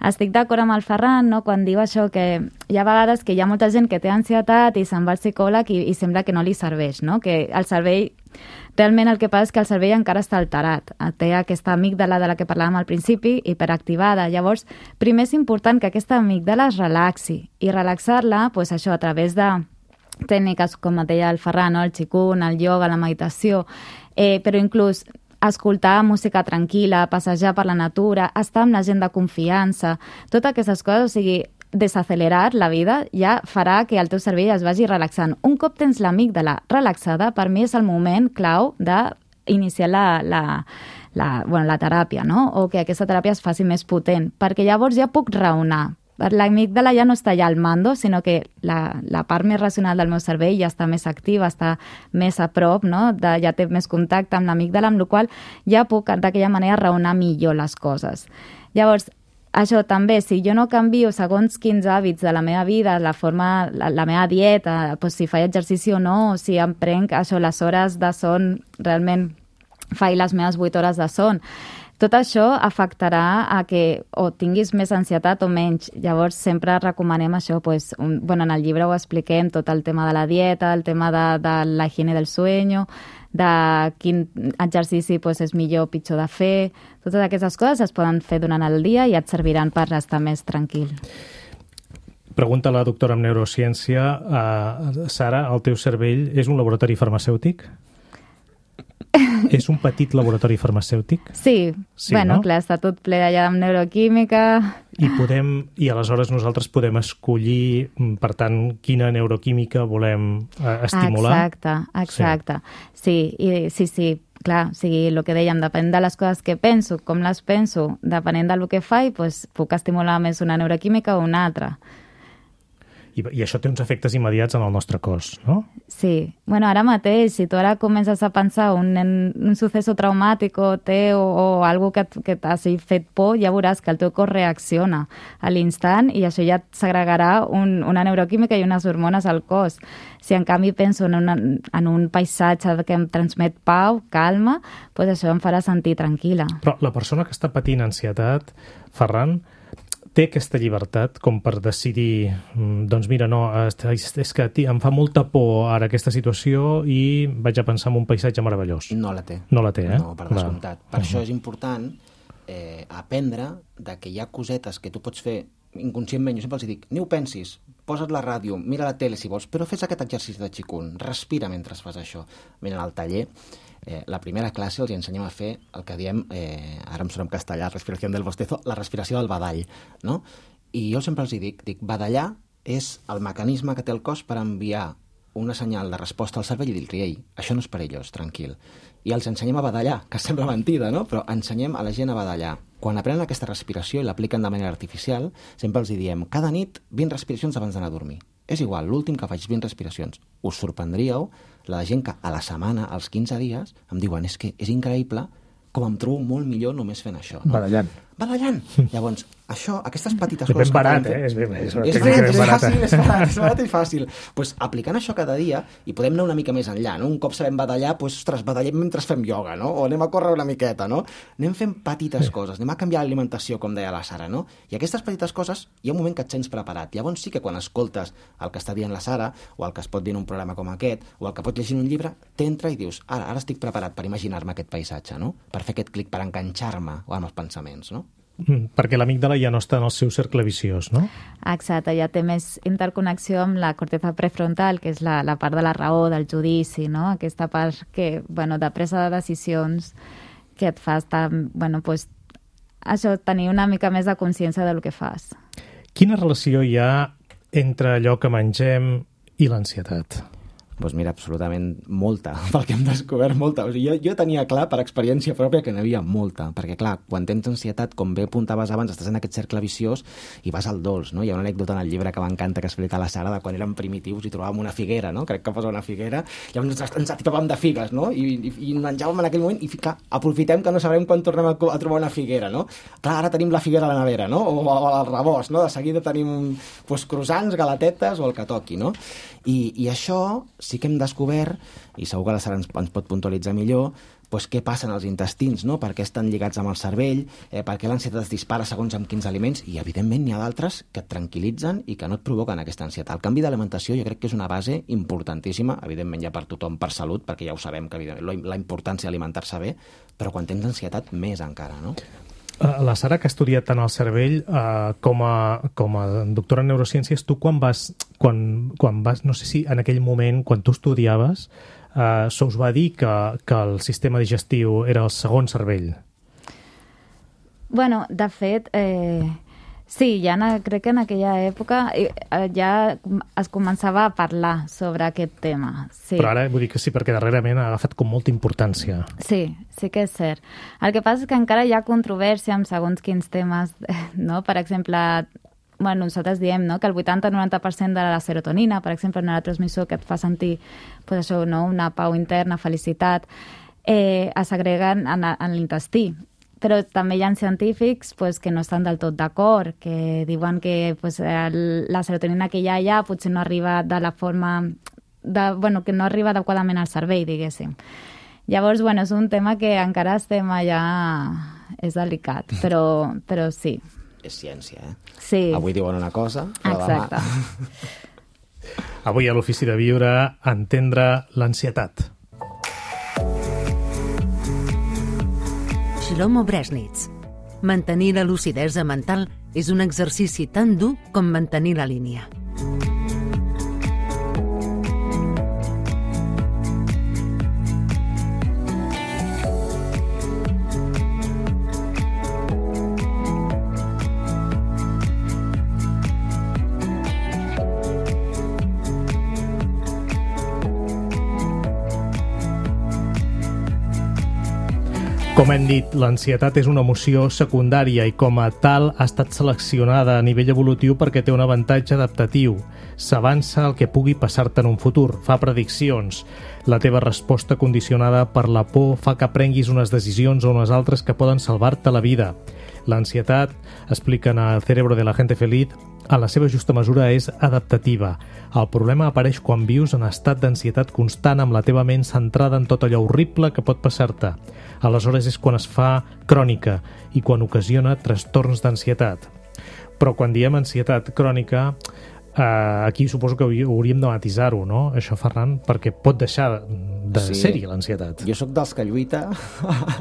Estic d'acord amb el Ferran, no? Quan diu això, que hi ha vegades que hi ha molta gent que té ansietat i se'n va al psicòleg i, i sembla que no li serveix, no? Que el cervell, realment el que passa és que el cervell encara està alterat. Té aquesta amígdala de la que parlàvem al principi, hiperactivada. Llavors, primer és important que aquesta amígdala es relaxi i relaxar-la, pues, això, a través de tècniques, com deia el Ferran, no? El Qigong, el ioga, la meditació, eh, però inclús escoltar música tranquil·la, passejar per la natura, estar amb la gent de confiança, totes aquestes coses, o sigui, desacelerar la vida ja farà que el teu cervell es vagi relaxant. Un cop tens l'amígdala relaxada, per mi és el moment clau d'iniciar la, la, la, bueno, la teràpia, no? O que aquesta teràpia es faci més potent, perquè llavors ja puc raonar. L'amígdala ja no està allà al mando, sinó que la, la part més racional del meu cervell ja està més activa, està més a prop, no? De, ja té més contacte amb l'amígdala, amb la qual ja puc d'aquella manera raonar millor les coses. Llavors, això també, si jo no canvio segons quins hàbits de la meva vida, la forma, la, la meva dieta, doncs si faig exercici o no, si em prenc això, les hores de son, realment faig les meves vuit hores de son, tot això afectarà a que o tinguis més ansietat o menys. Llavors sempre recomanem això, pues, un, bueno, en el llibre ho expliquem, tot el tema de la dieta, el tema de, de la higiene del sueño, de quin exercici pues, és millor o pitjor de fer. Totes aquestes coses es poden fer durant el dia i et serviran per estar més tranquil. Pregunta la doctora en neurociència. Uh, Sara, el teu cervell és un laboratori farmacèutic? És un petit laboratori farmacèutic? Sí, sí, bueno, no? Clar, està tot ple allà amb neuroquímica. I podem, i aleshores nosaltres podem escollir, per tant, quina neuroquímica volem eh, estimular? Exacte, exacte. Sí, sí, i, sí, sí, clar, o sigui, el que dèiem, depèn de les coses que penso, com les penso, depenent del que faig, pues, puc estimular més una neuroquímica o una altra. I, I això té uns efectes immediats en el nostre cos, no? Sí. Bueno, ara mateix, si tu ara comences a pensar un, un suceso traumàtic o té o, o algo que, que t'hagi fet por, ja veuràs que el teu cos reacciona a l'instant i això ja segregarà un, una neuroquímica i unes hormones al cos. Si en canvi penso en, una, en un paisatge que em transmet pau, calma, doncs això em farà sentir tranquil·la. Però la persona que està patint ansietat, Ferran, té aquesta llibertat com per decidir, doncs mira, no, és que em fa molta por ara aquesta situació i vaig a pensar en un paisatge meravellós. No la té. No la té, eh? No, per descomptat. Per uh-huh. això és important eh, aprendre de que hi ha cosetes que tu pots fer inconscientment. Jo sempre els dic, ni ho pensis, posa't la ràdio, mira la tele si vols, però fes aquest exercici de xicun, respira mentre fas això. Mira, al taller, eh, la primera classe els ensenyem a fer el que diem, eh, ara em sona en castellà, respiració del bostezo, la respiració del badall, no? I jo sempre els dic, dic, badallar és el mecanisme que té el cos per enviar una senyal de resposta al cervell i dir-li, ei, això no és perillós, tranquil. I els ensenyem a badallar, que sembla mentida, no? Però ensenyem a la gent a badallar. Quan aprenen aquesta respiració i l'apliquen de manera artificial, sempre els diem, cada nit vint respiracions abans d'anar a dormir. És igual, l'últim que faig vint respiracions. Us sorprendríeu la de gent que a la setmana, als quinze dies, em diuen, és que és increïble com em trobo molt millor només fent això. No? Badallant. Badallant. Llavors, això, aquestes petites és coses... Ben barat, fer, eh? És ben barat, és, ben, ben és fàcil, és barat, és barat i fàcil. Pues, aplicant això cada dia, i podem anar una mica més enllà, no? Un cop sabem badallar, pues, ostres, badallem mentre fem ioga, no? O anem a córrer una miqueta, no? Anem fent petites sí. coses, anem a canviar l'alimentació, com deia la Sara, no? I aquestes petites coses, hi ha un moment que et sents preparat. Llavors sí que quan escoltes el que està dient la Sara, o el que es pot dir en un programa com aquest, o el que pot llegir en un llibre, t'entra i dius, ara, ara estic preparat per imaginar-me aquest paisatge, no? Per fer aquest clic, per enganxar-me amb els pensaments, no? Mm, perquè l'amígdala ja no està en el seu cercle viciós, no? Exacte, ja té més interconnexió amb la corteza prefrontal, que és la, la part de la raó, del judici, no? Aquesta part que, bueno, de presa de decisions que et fa estar, bueno, pues, això, tenir una mica més de consciència del que fas. Quina relació hi ha entre allò que mengem i l'ansietat? Doncs mira, absolutament molta, pel que hem descobert molta. O sigui, jo, jo tenia clar, per experiència pròpia, que n'hi havia molta, perquè clar, quan tens ansietat, com bé apuntaves abans, estàs en aquest cercle viciós i vas al dolç, no? Hi ha una anècdota en el llibre que m'encanta que explica la Sara de quan érem primitius i trobàvem una figuera, no? Crec que posa una figuera, llavors ens, ens atipàvem de figues, no? I, i, i menjàvem en aquell moment i clar, aprofitem que no sabrem quan tornem a, a trobar una figuera, no? Clar, ara tenim la figuera a la nevera, no? O, o al rebost, no? De seguida tenim pues, croissants, galatetes o el que toqui, no? I, i això sí que hem descobert, i segur que la Sara ens, ens pot puntualitzar millor, pues, què passa en els intestins, no? Per què estan lligats amb el cervell, eh, per què l'ansietat es dispara segons amb quins aliments, i evidentment n'hi ha d'altres que et tranquil·litzen i que no et provoquen aquesta ansietat. El canvi d'alimentació jo crec que és una base importantíssima, evidentment ja per tothom, per salut, perquè ja ho sabem, que la importància d'alimentar-se bé, però quan tens ansietat més encara, no? La Sara, que ha estudiat tant el cervell eh, com, a, com a doctora en neurociències, tu quan vas, quan, quan vas, no sé si en aquell moment, quan tu estudiaves, eh, se us va dir que, que el sistema digestiu era el segon cervell. Bueno, de fet, eh, sí, ja en, crec que en aquella època eh, ja es començava a parlar sobre aquest tema. Sí. Però ara vull dir que sí, perquè darrerament ha agafat com molta importància. Sí, sí que és cert. El que passa és que encara hi ha controvèrsia amb segons quins temes, no? Per exemple, bueno, nosaltres diem, no?, que el vuitanta a noranta per cent de la serotonina, per exemple, un neurotransmissor que et fa sentir pues, això, no?, una pau interna, felicitat, eh, es segreguen en, en l'intestí. Però també hi ha científics pues, que no estan del tot d'acord, que diuen que pues, el, la serotonina que hi ha allà potser no arriba de la forma... De, bueno, que no arriba adequadament al cervell, diguéssim. Llavors, bueno, és un tema que encara estem allà... És delicat, però, però sí. És ciència, eh? Sí. Avui diuen una cosa, però exacte. Demà... Avui a l'Ofici de Viure, entendre l'ansietat. Shlomo Bresnitz. Mantenir la lucidesa mental és un exercici tan dur com mantenir la línia. Com hem dit, l'ansietat és una emoció secundària i com a tal ha estat seleccionada a nivell evolutiu perquè té un avantatge adaptatiu. S'avança el que pugui passar-te en un futur, fa prediccions. La teva resposta condicionada per la por fa que prenguis unes decisions o unes altres que poden salvar-te la vida. L'ansietat, expliquen a El cerebro de la gente feliz, a la seva justa mesura és adaptativa. El problema apareix quan vius en estat d'ansietat constant amb la teva ment centrada en tot allò horrible que pot passar-te. Aleshores és quan es fa crònica i quan ocasiona trastorns d'ansietat. Però quan diem ansietat crònica, eh, aquí suposo que hauríem de matisar-ho, no? Això, Ferran, perquè pot deixar de sí. ser-hi l'ansietat. Jo sóc dels que lluita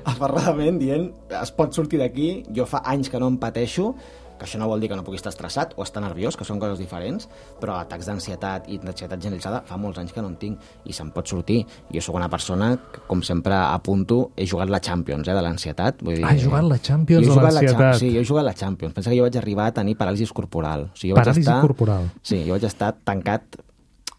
aferradament dient es pot sortir d'aquí, jo fa anys que no em pateixo, que això no vol dir que no pugui estar estressat o estar nerviós, que són coses diferents, però atacs d'ansietat i d'ansietat generalitzada fa molts anys que no en tinc i se'n pot sortir. Jo sóc una persona que, com sempre apunto, he jugat la Champions eh, de l'ansietat. Vull dir, ah, he jugat la Champions de l'ansietat. Sí, jo he jugat la Champions. Pensa que jo vaig arribar a tenir paràlisi corporal. O sigui, jo paràlisi vaig estar, corporal? Sí, jo vaig estar tancat,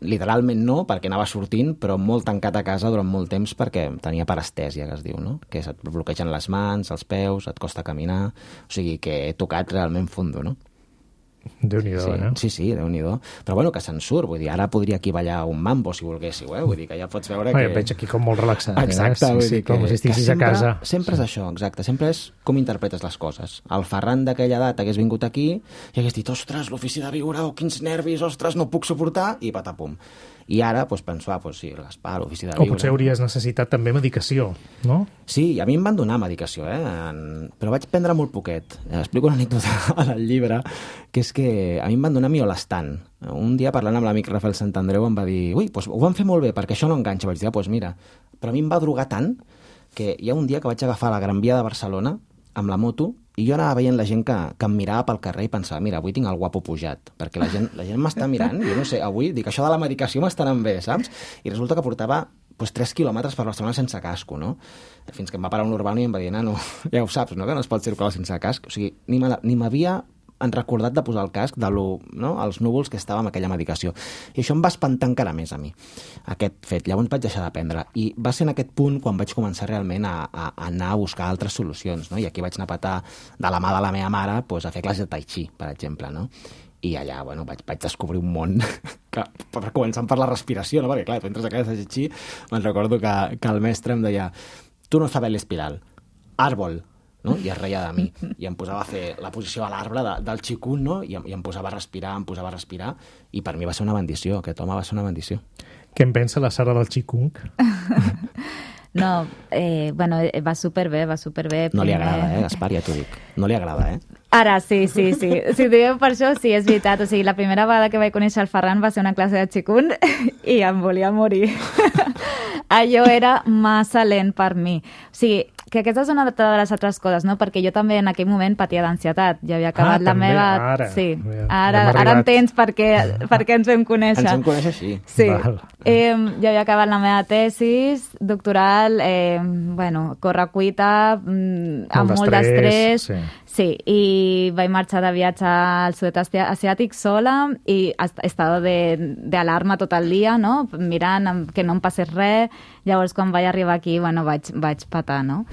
literalment no, perquè anava sortint, però molt tancat a casa durant molt temps perquè tenia parestèsia, que es diu, no? Que et bloquegen les mans, els peus, et costa caminar... O sigui, que he tocat realment fondo, no? Déu-n'hi-do, sí, eh? Sí, sí, Déu-n'hi-do. Però bueno, que se'n surt, vull dir, ara podria aquí ballar un mambo, si volguéssiu, eh? Vull dir que ja pots veure que... Ai, veig aquí com molt relaxat, exacte, eh? Vull Sí, dir sí, com que, si estiguis sempre, a casa. Sempre és això, exacte. Sempre és com interpretes les coses. El Ferran d'aquella edat hagués vingut aquí i hagués dit, ostres, l'Ofici de Viure, oh, quins nervis, ostres, no puc suportar, i patapum. I ara, doncs, penso, ah, doncs sí, el Gaspar, l'Ofici de Viure... O potser hauries necessitat també medicació, no? Sí, a mi em van donar medicació, eh? En... però vaig prendre molt poquet. Explico una anècdota al llibre, que és que a mi em van donar miolastan. Un dia, parlant amb l'amic Rafael Santandreu, em va dir, ui, doncs ho van fer molt bé, perquè això no enganxa. Vaig dir, ah, doncs mira, però a mi em va drogar tant que hi ha un dia que vaig agafar la Gran Via de Barcelona amb la moto i jo anava veient la gent que, que em mirava pel carrer i pensava, mira, avui tinc el guapo pujat, perquè la gent, la gent m'està mirant, jo no sé, avui dic, això de la medicació m'està anant bé, saps? I resulta que portava pues, tres quilòmetres per Barcelona sense casco, no? Fins que em va parar un urbano i em va dir, nano, ja ho saps, no?, que no es pot circular sense casc. O sigui, ni m'havia han recordat de posar el casc de lo, no? els núvols que estava amb aquella medicació. I això em va espantar encara més a mi, aquest fet. Llavors vaig deixar de prendre. I va ser en aquest punt quan vaig començar realment a, a, a anar a buscar altres solucions, no? I aquí vaig anar a petar de la mà de la meva mare pues, a fer classes de tai chi, per exemple, no? I allà, bueno, vaig, vaig descobrir un món que, per començar per la respiració, no? Perquè, clar, tu entres a classes de tai chi, me'n recordo que, que el mestre em deia tu no sabes l'espiral, árbol, no? I es reia de mi, i em posava a fer la posició a l'arbre de, del xicun, no? I, em, i em posava a respirar, em posava a respirar, i per mi va ser una bendició, aquest home va ser una bendició. Què en pensa la Sara del xicung? No, eh, bueno, va superbé, va superbé. No li agrada, eh, Gaspar, ja t'ho dic. No li agrada, eh? Ara, sí, sí, sí. Si digueu per això, sí, és veritat. O sigui, la primera vegada que vaig conèixer el Ferran va ser una classe de xicun i em volia morir. Allò era massa lent per mi. O sigui, que aquesta és una de les altres coses, no? Perquè jo també en aquell moment patia d'ansietat. Ja havia acabat ah, la també? meva... Ara. Sí, Ja, ara, ja ara entens per què, per què ens vam conèixer. Ens vam conèixer així. Sí. Val. Eh, jo havia acabat la meva tesis doctoral, eh, bueno, correcuita, mm, amb molt d'estrès. Sí. Sí, i vaig marxar de viatge al sud-est asiàtic sola i estava d'alarma tot el dia, no? Mirant que no em passés res. Llavors, quan vaig arribar aquí, bueno, vaig, vaig patar, no?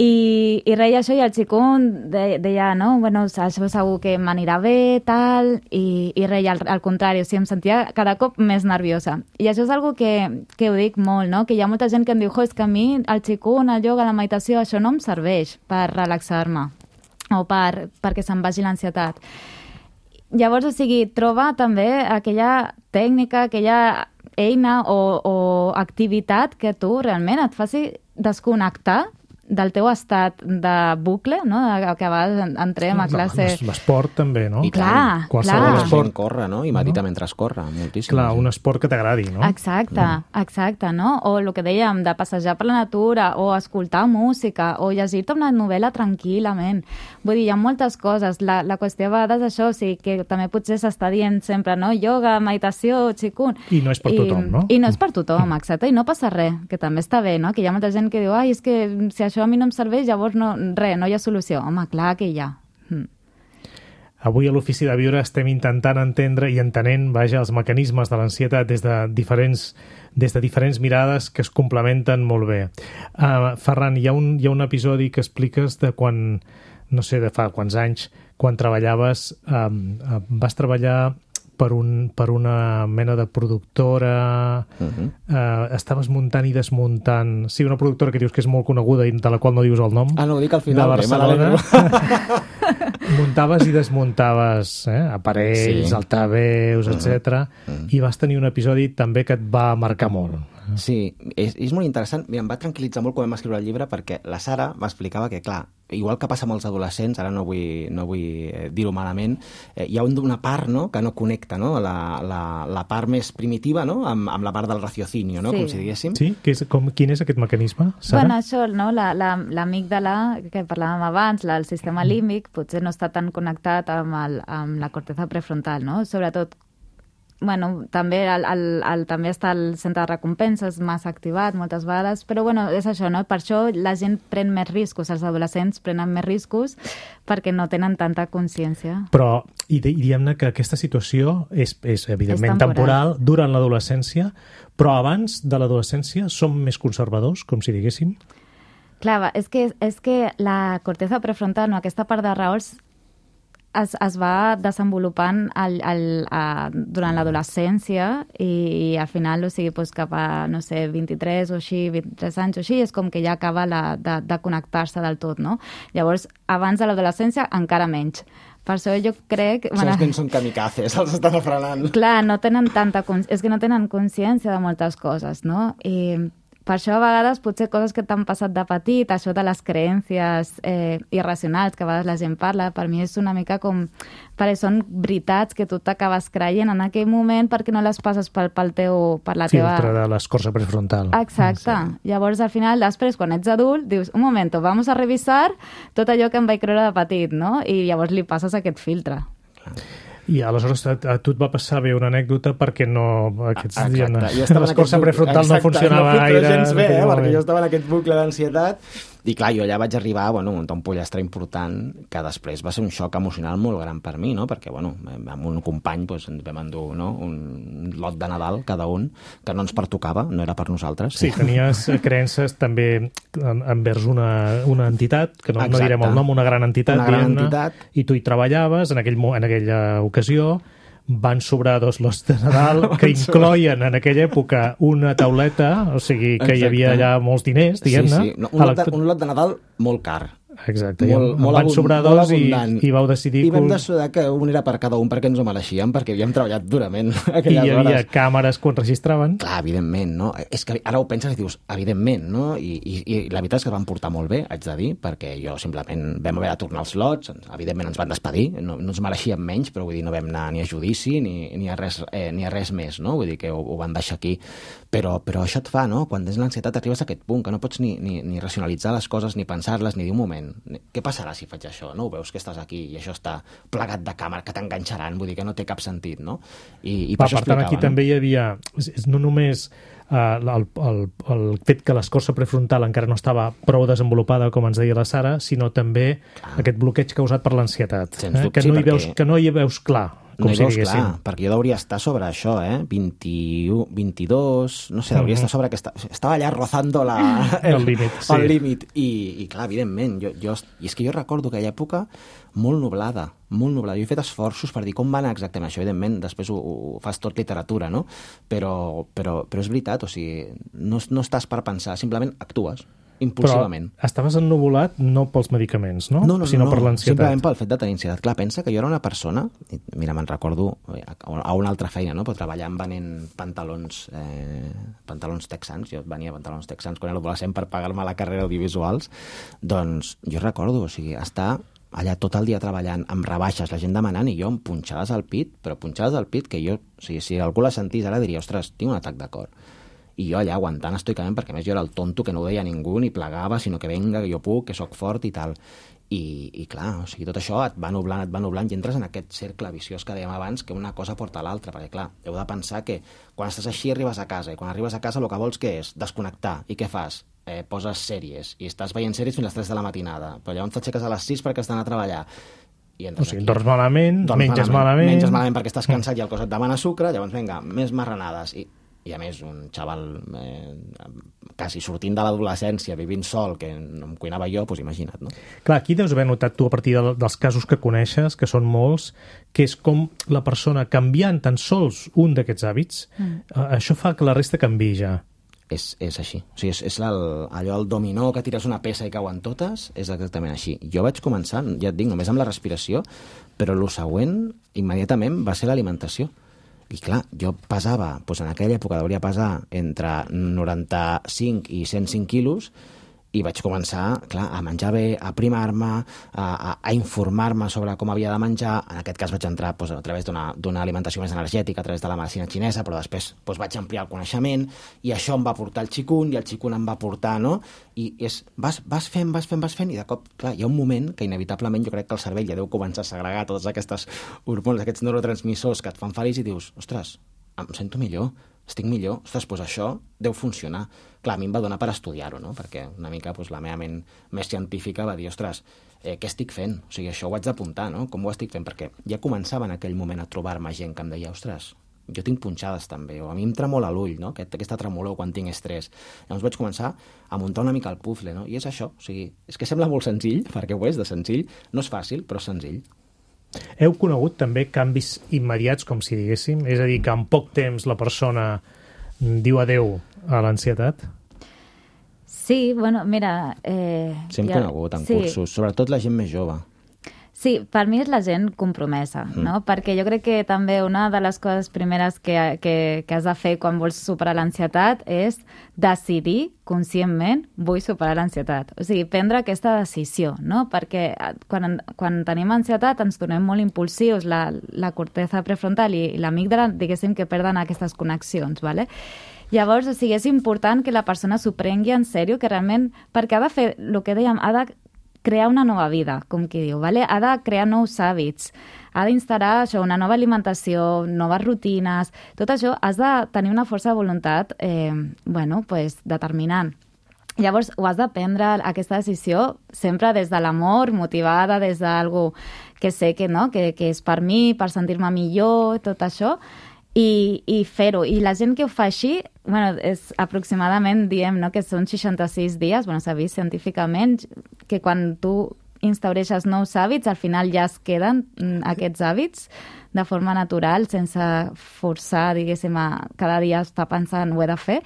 I, i reia això i el xicón de, deia, no, bueno, això segur que m'anirà bé, tal, i, i reia al, al contrari, o sigui, em sentia cada cop més nerviosa. I això és algo que, que ho dic molt, no? Que hi ha molta gent que em diu, jo, és que a mi el xicón, el ioga, la meditació, això no em serveix per relaxar-me o per, perquè se'n vagi l'ansietat. Llavors, o sigui, troba també aquella tècnica, aquella eina o, o activitat que tu realment et faci desconnectar del teu estat de bucle, no? Que a vegades entrem a classe... No, l'esport també, no? I clar, qualsevol clar. esport corre, no? I medita mentre es corre, moltíssim. Clar, un esport que t'agradi, no? Exacte, exacte, no? O el que dèiem, de passejar per la natura, o escoltar música, o llegir-te una novel·la tranquil·lament. Vull dir, hi ha moltes coses. La, la qüestió a vegades és això, o sigui, que també potser s'està dient sempre, no? Ioga, meditació, qigong... I no és per tothom, no? I no és per tothom, exacte, i no passa res, que també està bé, no? Que hi ha molta gent que diu, ai, és que si això a mi no em serveix, llavors no, res, no hi ha solució. Home, clar que hi ha. Mm. Avui a l'Ofici de Viure estem intentant entendre i entenent, vaja, els mecanismes de l'ansietat des de diferents des de diferents mirades que es complementen molt bé. Uh, Ferran, hi ha, un, hi ha un episodi que expliques de quan, no sé, de fa quants anys, quan treballaves, um, uh, vas treballar per, un, per una mena de productora, uh-huh. uh, estaves muntant i desmuntant... Sí, una productora que dius que és molt coneguda i de la qual no dius el nom. Ah, no, ho dic al final. De Barcelona. Muntaves i desmuntaves eh, aparells, sí. altaveus, uh-huh. etcètera. Uh-huh. I vas tenir un episodi també que et va marcar molt. Sí, és, és molt interessant. Mira, em va tranquil·litzar molt quan vam escriure el llibre perquè la Sara m'explicava que, clar, igual que passa amb els adolescents, ara no vull, no vull dir-ho malament, eh, hi ha una part, no?, que no connecta, no?, la, la, la part més primitiva, no?, amb, amb la part del raciocinio, no?, sí. com si diguéssim. Sí? Que és, com, quin és aquest mecanisme, Sara? Bueno, això, no?, l'amígdala, la, la, que parlàvem abans, la, el sistema límbic, potser no està tan connectat amb, el, amb la corteza prefrontal, no?, sobretot bueno, també, el, el, el, també està el centre de recompenses massa activat moltes vegades, però bueno, és això, no? Per això la gent pren més riscos, els adolescents prenen més riscos perquè no tenen tanta consciència. Però, i, i diguem-ne que aquesta situació és, és evidentment és temporal. temporal durant l'adolescència, però abans de l'adolescència som més conservadors, com si diguéssim? Clar, és que, és que la corteza prefrontal, no, aquesta part de raons, Es, es va desenvolupant el, el, uh, durant l'adolescència i, i al final, o sigui, doncs cap a, no sé, vint-i-tres o així, vint-i-tres anys o així, és com que ja acaba la, de, de connectar-se del tot, no? Llavors, abans de l'adolescència, encara menys. Per això jo crec... Són els que són kamikazes, els estan frenant. Clar, no tenen tanta... És que no tenen consciència de moltes coses, no? I per això, a vegades, potser coses que t'han passat de petit, això de les creences eh, irracionals, que a vegades la gent parla, per mi és una mica com... perquè són veritats que tu t'acabes creient en aquell moment perquè no les passes pel, pel teu, per la teva... Filtre de l'escorça prefrontal. Exacte. Sí. Llavors, al final, després, quan ets adult, dius, un moment, vamos a revisar tot allò que em vaig creure de petit, no? I llavors li passes aquest filtre. I aleshores a, a tu et va passar bé una anècdota perquè no... Aquests dies, l'escorça prefrontal no funcionava no gaire. Gens bé, eh, perquè jo estava en aquest bucle d'ansietat. I clar, jo allà vaig arribar bueno, a muntar un pollastre important que després va ser un xoc emocional molt gran per mi, no? Perquè bueno, amb un company doncs, ens vam endur no? un lot de Nadal cada un, que no ens pertocava, no era per nosaltres. Sí, tenies creences també envers una, una entitat, que no, no direm el nom, una gran entitat, una gran entitat. I tu hi treballaves en, aquell, en aquella ocasió. Van sobrar dos lots de Nadal que incloïen en aquella època una tauleta, o sigui que Exacte. Hi havia allà molts diners, diguem-ne. Sí, sí. No, un, lot de, un lot de Nadal molt car. Exacte, molt, i molt, van sobrar dos i, i vau decidir... I vam decidir que un era per cada un perquè ens ho mereixíem, perquè havíem treballat durament aquelles hores. I hi havia hores. Càmeres quan registraven. Clar, evidentment, no? És que ara ho penses i dius, evidentment, no? I, i, i la veritat és que van portar molt bé, haig de dir, perquè jo simplement vam haver de tornar els lots, evidentment ens van despedir, no, no ens mereixíem menys, però vull dir, no vam anar ni a judici ni, ni, a, res, eh, ni a res més, no? Vull dir que ho, ho van deixar aquí. Però, però això et fa, no? Quan tens l'ansietat arribes a aquest punt, que no pots ni, ni, ni racionalitzar les coses, ni pensar-les, ni dir un moment, què passarà si faig això? No ho veus que estàs aquí i això està plegat de càmera, que t'enganxaran, vull dir que no té cap sentit, no? I, i per, Va, això per tant, aquí no? també hi havia, no només uh, el, el, el fet que l'escorça prefrontal encara no estava prou desenvolupada, com ens deia la Sara, sinó també Clar. aquest bloqueig causat per l'ansietat, eh? dubte, que, no sí, hi veus, que no hi veus clar. Com no hi si veus diguéssim. clar, perquè jo hauria estar sobre això, eh? vint-i-u, vint-i-dos, no sé, hauria estar sobre aquesta... Estava allà rozando la... el, el límit, sí. El límit. I, I clar, evidentment, jo, jo... I és que jo recordo aquella època molt nublada, molt nublada. Jo he fet esforços per dir com va anar exactament això, evidentment, després ho, ho fas tot literatura, no? Però, però, però és veritat, o sigui, no, no estàs per pensar, simplement actues. Impulsivament. Però estaves ennuvolat no pels medicaments, no? No, no, sinó no, per l'ansietat. Simplement pel fet de tenir ansietat. Clar, pensa que jo era una persona, mira, me'n recordo a una altra feina, no? Però treballant venent pantalons eh, pantalons texans, jo venia pantalons texans quan era adolescent per pagar-me la carrera audiovisuals, doncs jo recordo, o sigui, estar allà tot el dia treballant amb rebaixes, la gent demanant i jo amb punxades al pit, però punxades al pit que jo, o sigui, si algú la sentís ara diria, ostres, tinc un atac de cor. I jo allà aguantant estoicament, perquè a més jo era el tonto que no ho deia a ningú ni plegava, sinó que venga, que jo puc, que sóc fort i tal. I, i clar, o sigui, tot això et va nublant, et va nublant i entres en aquest cercle viciós que dèiem abans, que una cosa porta a l'altra, perquè clar, heu de pensar que quan estàs així arribes a casa, i quan arribes a casa el que vols què és? Desconnectar. I què fas? Eh, poses sèries, i estàs veient sèries fins a les tres de la matinada, però llavors t'aixeques a les sis perquè has d'anar a treballar. I o sigui, dorms malament, dorms menges malament... malament... Menges malament perquè estàs cansat i el cos et demana sucre, llavors, vinga, més marranades. I, i a més, un xaval eh, quasi sortint de l'adolescència, vivint sol, que em cuinava jo, doncs imagina't, no? Clar, aquí deus haver notat tu a partir de, dels casos que coneixes, que són molts, que és com la persona canviant tan sols un d'aquests hàbits, mm. eh, això fa que la resta canviï ja. És, és així. O sigui, és, és el, allò, el dominó que tires una peça i cauen totes, és exactament així. Jo vaig començar, ja et dic, només amb la respiració, però el següent, immediatament, va ser l'alimentació. I clar, jo pesava, doncs en aquella època hauria pesar entre noranta-cinc i cent cinc quilos, i vaig començar, clar, a menjar bé, a primar-me, a, a, a informar-me sobre com havia de menjar. En aquest cas vaig entrar doncs, a través d'una alimentació més energètica, a través de la medicina xinesa, però després doncs, vaig ampliar el coneixement, i això em va portar el xicun, i el xicun em va portar, no? I és, vas, vas fent, vas fent, vas fent, i de cop, clar, hi ha un moment que inevitablement jo crec que el cervell ja deu començar a segregar totes aquestes hormones, aquests neurotransmissors que et fan feliç, i dius, ostres, em sento millor, estic millor, ostres, doncs això deu funcionar. Clar, a mi em va donar per estudiar-ho, no? Perquè una mica doncs, la meva ment més científica va dir, ostres, eh, què estic fent? O sigui, això ho haig d'apuntar, no? Com ho estic fent? Perquè ja començava en aquell moment a trobar-me gent que em deia, ostres, jo tinc punxades també, o a mi em tremola l'ull, no? Aquest, aquesta tremolor quan tinc estrès. Llavors vaig començar a muntar una mica el puzle, no? I és això, o sigui, és que sembla molt senzill, perquè ho és de senzill, no és fàcil, però és senzill. Heu conegut també canvis immediats, com si diguéssim? És a dir, que en poc temps la persona diu adeu a l'ansietat? Sí, bueno, mira... Eh, sí, hem ja, conegut en sí. cursos, sobretot la gent més jove. Sí, per mi és la gent compromesa, mm. no? Perquè jo crec que també una de les coses primeres que, que, que has de fer quan vols superar l'ansietat és decidir conscientment vull superar l'ansietat. O sigui, prendre aquesta decisió, no? Perquè quan, quan tenim ansietat ens tornem molt impulsius, la, la corteza prefrontal i, i l'amígdala, diguéssim que perden aquestes connexions, ¿vale? Llavors, o sigui, és important que la persona s'ho prengui en sèrio, que realment, perquè ha de fer, el que dèiem, ha de crear una nova vida, com qui diu, ¿vale? Ha de crear nous hàbits, ha d'instal·lar això, una nova alimentació, noves rutines, tot això has de tenir una força de voluntat eh, bueno, pues, determinant. Llavors, ho has de prendre, aquesta decisió, sempre des de l'amor, motivada, des d'algú que sé que, no? que, que és per mi, per sentir-me millor, tot això, i, i fer-ho. I la gent que ho fa així, bueno, és aproximadament, diem, no? que són seixanta-sis dies, bueno, s'ha vist científicament, que quan tu instaureixes nous hàbits, al final ja es queden aquests hàbits de forma natural, sense forçar, diguéssim, a cada dia estar pensant ho he de fer.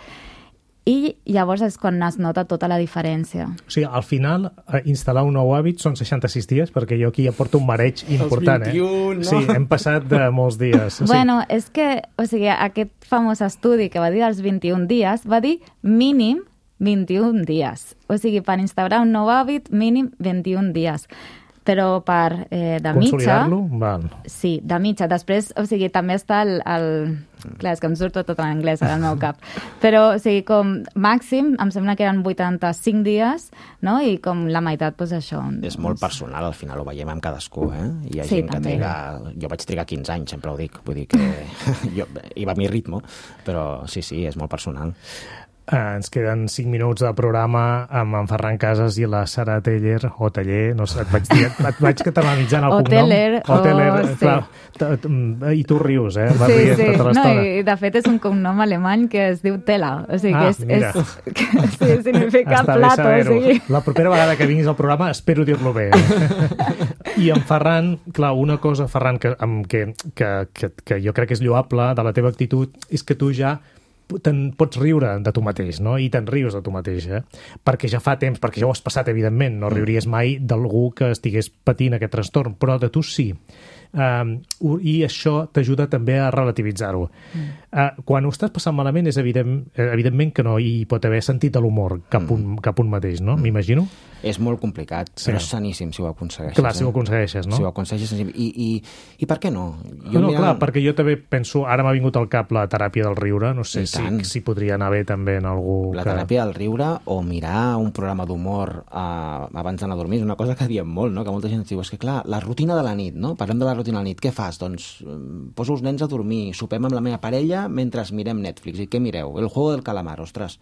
I llavors és quan es nota tota la diferència. O sigui, al final, instal·lar un nou hàbit són seixanta-sis dies, perquè jo aquí ja porto un mareig important, Els vint-i-un, eh? no? Sí, hem passat de molts dies. Bueno, és que, o sigui, aquest famós estudi que va dir dels vint-i-un dies, va dir mínim vint-i-un dies. O sigui, per instaurar un nou hàbit, mínim vint-i-un dies. Però per eh, de mitja... Consolidar-lo? Val. Sí, de mitja. Després, o sigui, també està el... el... Clar, és que em surt tot en anglès ara al meu cap. Però, o sigui, com màxim, em sembla que eren vuitanta-cinc dies, no? I com la meitat, doncs això. És molt personal, al final ho veiem amb cadascú, eh? Hi ha Sí, gent que també. triga... Jo vaig trigar quinze anys, sempre ho dic. Vull dir que jo... hi va a mi ritme, però sí, sí, és molt personal. Eh, ens queden cinc minuts de programa amb en Ferran Casas i la Sara Teller, o Teller, no sé, et vaig, dir, et vaig catalanitzant el O cognom. Teller, o Teller, o- sí. clar. T- t- I tu rius, eh? Vas Sí, rient sí. tota No, l'estona. i de fet és un cognom alemany que es diu Tela. O sigui, Ah, que és... mira. és que, sí, significa Està bé plato. O saber-ho. sigui... La propera vegada que vinguis al programa espero dir-lo bé. I en Ferran, clar, una cosa, Ferran, que, amb, que, que, que, que jo crec que és lloable de la teva actitud, és que tu ja te'n pots riure de tu mateix, no? I te'n rius de tu mateix, eh? Perquè ja fa temps, perquè ja ho has passat, evidentment, no riuries mai d'algú que estigués patint aquest trastorn, però de tu sí. Um, i això t'ajuda també a relativitzar-ho. Mm. Uh, quan ho estàs passant malament és evident, evidentment que no hi pot haver sentit de l'humor cap, un, cap un mateix, no? Mm. M'imagino? És molt complicat, Sí. però és saníssim si ho aconsegueixes. Clar, si ho eh? aconsegueixes, no? Si ho aconsegueixes, I, i, i per què no? Jo no, mira- clar, perquè jo també penso, ara m'ha vingut al cap la teràpia del riure, no sé I si, tant. si podria anar bé també en algú La que... teràpia del riure o mirar un programa d'humor uh, abans d'anar a dormir és una cosa que diem molt, no? Que molta gent ens diu, és que clar, la rutina de la nit, no? Parlem de la rutina de la nit, què fas? Doncs eh, poso els nens a dormir, sopem amb la meva parella mentre mirem Netflix. I què mireu? El juego del calamar, ostres.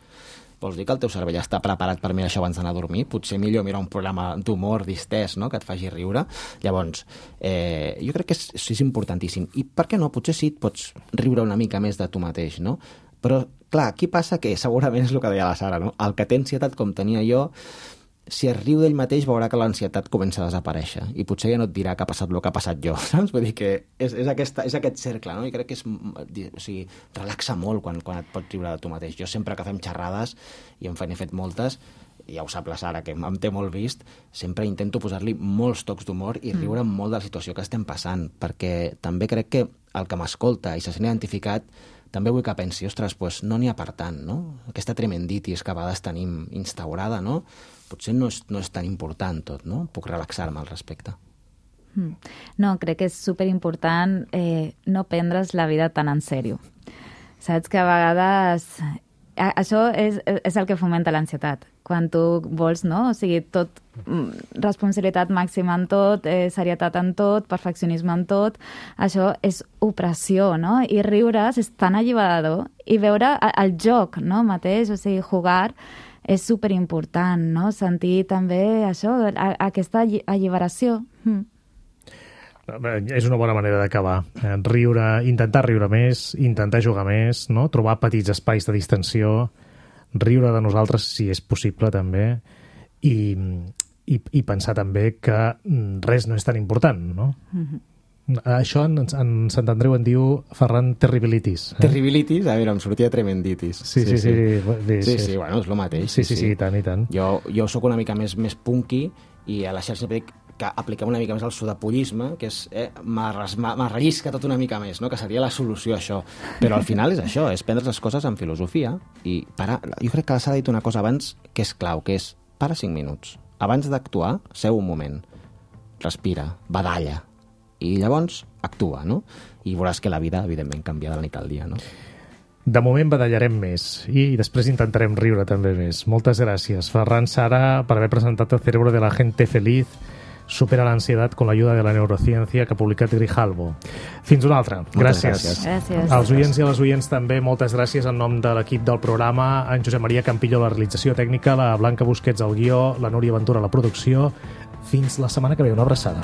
Vols dir que el teu cervell està preparat per mirar això abans d'anar a dormir? Potser millor mirar un programa d'humor distès, no?, que et faci riure. Llavors, eh, jo crec que és, és importantíssim. I per què no? Potser sí et pots riure una mica més de tu mateix, no? Però, clar, aquí passa que segurament és el que deia la Sara, no? El que té ansietat com tenia jo, si es riu d'ell mateix veurà que l'ansietat comença a desaparèixer i potser ja no et dirà que ha passat el que ha passat jo, saps? Vull dir que és, és, aquesta, és aquest cercle, no? I crec que és, o sigui, relaxa molt quan, quan et pots riure de tu mateix. Jo sempre que fem xerrades, i en he fet moltes, ja ho sap la Sara, que em té molt vist, sempre intento posar-li molts tocs d'humor i riure molt de la situació que estem passant, perquè també crec que el que m'escolta i se sent identificat també vull que pensi, ostres, pues no n'hi ha per tant, no? Aquesta tremenditis que a vegades tenim instaurada, no? Potser no és, no és tan important tot, no? Puc relaxar-me al respecte. No, crec que és superimportant eh, no prendre's la vida tan en sèrio. Saps que a vegades... A, això és, és el que fomenta l'ansietat. Quan tu vols, no? O sigui, tot, responsabilitat màxima en tot, eh, serietat en tot, perfeccionisme en tot, això és opressió, no? I riure's és tan alliberador. I veure el joc, no?, mateix, o sigui, jugar és superimportant, no? Sentir també això, a, aquesta alliberació. Mm. És una bona manera d'acabar. Eh, riure, intentar riure més, intentar jugar més, no? Trobar petits espais de distensió, riure de nosaltres si és possible també, i, i, i pensar també que res no és tan important, no? Mm-hmm. Això en, en Sant Andreu en diu Ferran terribilitis. Eh? Terribilitis? A veure, em sortia tremenditis. Sí, sí, sí. Sí, sí, sí, sí, sí bueno, és el mateix. Sí, sí, sí, i tant, i tant. Jo, jo sóc una mica més, més punky i a la xarxa dic que apliquem una mica més el sudapollisme, que és eh, m'arrellisca tot una mica més, no? Que seria la solució a això. Però al final és això, és prendre les coses amb filosofia i parar. Jo crec que la Sara ha dit una cosa abans que és clau, que és para cinc minuts. Abans d'actuar, seu un moment, respira, badalla, i llavors actua, no? I veuràs que la vida, evidentment, canvia de la nit al dia, no? De moment badallarem més i després intentarem riure també més. Moltes gràcies, Ferran, Sara, per haver presentat El cerebro de la gente feliz, supera l'ansiedad con la ayuda de la neurociencia, que ha publicat Grijalbo. Fins una altra. Gràcies. gràcies. Gràcies. Als oients i a les oients també, moltes gràcies en nom de l'equip del programa, en Josep Maria Campillo, la realització tècnica, la Blanca Busquets, al guió, la Núria Ventura, la producció. Fins la setmana que ve. Una abraçada.